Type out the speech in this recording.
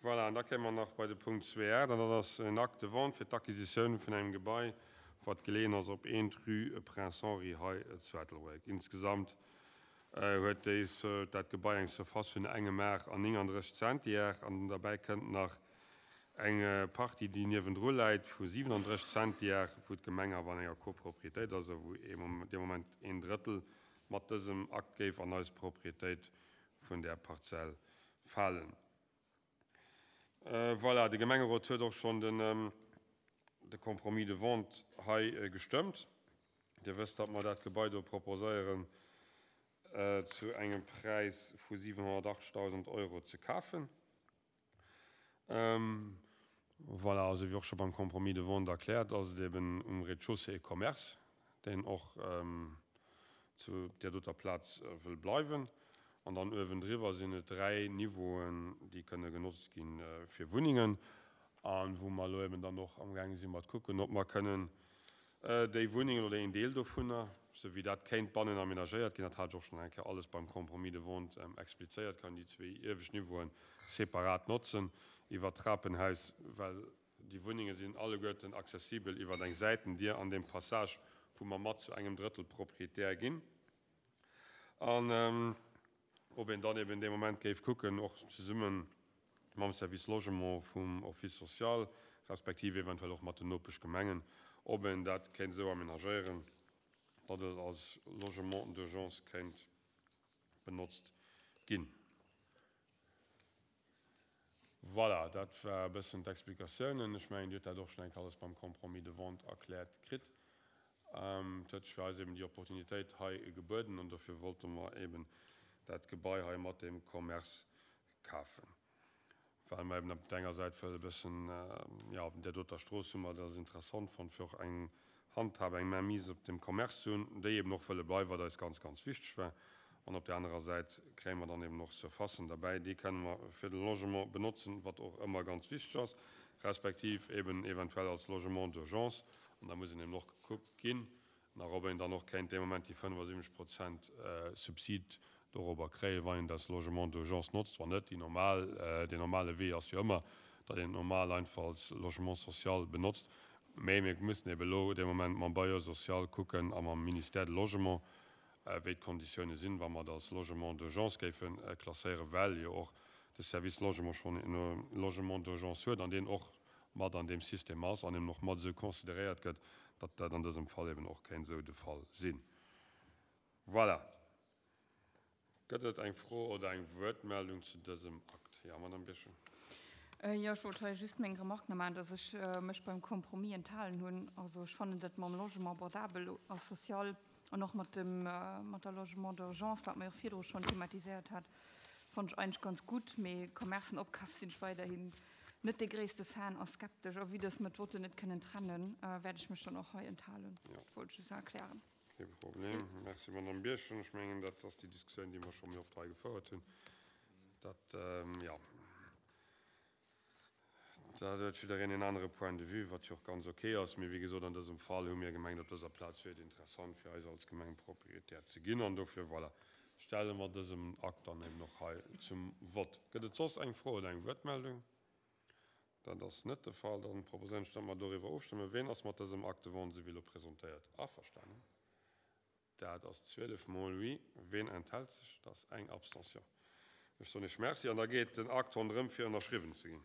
Voilà, an da kéime mer nach bei de Punkt 2.8, an dat ass en Acte de vente fir d'Acquisitioun vun engem Gebai, wat geleeën ass op 1 rue Prince Henri hei zu Ettelbréck. Insgesamt huet déis, dat Gebai eng Surface vun engem Ar an 39 Zentiar an derbäi kënnt nach eng Partie, déi niewendru läit, vu 37 Zentiar, wou d'Gemeng awer an enger Copropriétéit ass a wou dee Moment een Drëttel mat dësem Akt géif an eis Propriétéit vun där Parzell falen. Voilà, de Gemengerot huet och schonn de Compromis de vente hei gestëmmt. Dir wësst, datt mer dat Gebai do proposéieren zu engem Präis vu 780.000 Euro ze kafen. Voilà, also wéi och scho beim Compromis de vente erkläert, ass et eben um Rez-de-chaussée e Commerce, deen och zu där doter Plaz wëll bleiwen. An dann uewendriwwer sinn et 3 Niveauen, déi kënne genotzt gi fir Wunnengen a wou mer elo eben dann och amgaange si mat kucken, ob mer kënnen déi Wunnengen oder een Deel dovunner, sou wéi dat kéint bannen aménagéiert ginn, dat hat ech och schonn eng Kéier alles beim Compromis de vente explizéiert, kann déi zwee iewescht Niveauen separat notzen iwwert d'Trapenhaus, well Déi Wunnenge sinn alleguerten accessibel iwwer eng Säitendier an deem Passage, wou mer mat zu engem Drëttel Proprietär ginn. An ob een dann eben dee Moment géif kucken, och zesumme mam Service Logement vum Office social, respektiv eventuell och mat den Nopeschgemengen, ob een dat kéint esou amenagéieren, datt et als Logement d'urgence kéint benotzt ginn. Voilà, dat war e bëssen d'Explikatiounen. Ech mengen, Dir hutt dat och schonn eng Kéier alles beim Compromis de vente erkläert kritt. Et huet sech fir eis eben déi Opportunitéit hei gebueden an dofir wollte mer eben dat Gebai hei mat deem Commerce kafen, well mer eben op der enger Säit wëlle e bëssen, jo, op där doter Strooss hu mer dat als interessant fonnt, fir och eng Handhab, eng Mainmise op dem Commerce ze hunn, déi eben och wëlle bleiwen, wat eis ganz, ganz wichteg war. An op där anerer Säit kréie mer dann eben och Surfacen derbäi, déi kënne mer fir de Logement benotzen, wat och ëmmer ganz wichteg ass, respektiv eben eventuell als Logement d'urgence. An da muss een eben och gekuckt ginn, nach ob een dann och kéint dee Moment déi 75 Prozent Subsid dorobber kréien, wann een das Logement d'urgence notzt. Wann net, déi normal, deen normale Wee ass jo ëmmer, datt een et normal einfach als Logement social benotzt. Mä mir müssen eben elo dee Moment mam Bailleur social kucken a mam Ministère de Logement, wéi d'Konditiounen sinn, wa mer et als Logement d'urgence géife klasséieren, well jo och de Service Logement schonn e Logement d'urgence huet an deen och mat an deem System ass an eben och mat esou consideréiert gëtt, datt dat an dësem Fall eben och kéint esou de Fall sinn. Voilà. Gëtt et eng Fro oder eng Wuertmeldung zu dësem Akt? Jo, Madame Birchen. Jo, ech wollt hei just meng Remarque nach maachen, dass ech mech beim Compromis enthalen hunn. Also ech fannen dat mam Logement abordable a social an och mat dem, mat der Logement d'urgence, wat mer jo och virdru schonn thematiséiert hat, fannen ech eigentlech ganz gutt. Mee Commercen opkafe sinn ech weiderhin net dee gréisste Fan a skeptesch. A vue dass mer d'Votten net kënnen trennen, wäert ech mech dann och hei enthalen. Dat wollt ech just nach erklären. Kee Problem. Merci, Madame Birchen. Ech mengen, dat ass déi Diskussioun, déi mer scho méi oft hei gefouert hunn. Dat, jo, dat huet jiddereen en anere Point de vue, wat jo och ganz okay ass. Mee wéi gesot, an dësem Fall hu mir gemengt, op dëser Plaz wier et interessant fir eis als Gemeng Proprietär ze ginn. An dofir, voilà, stelle mer dësem Akt dann eben och hei zum Vott. Gëtt et soss eng Fro oder eng Wuertmeldung? Dat ass net de Fall. Dann proposéieren ech, datt mer doriwwer ofstëmmen. Ween ass mat dësem Acte de vente, esou wéi elo presentéiert, averstanen? Dat ass 12 mol oui. Ween enthält sech? Dat ass eng Abstention. Ech soen Iech Merci an da geet den Akt ronderëm fir ënnerschriwwen ze ginn.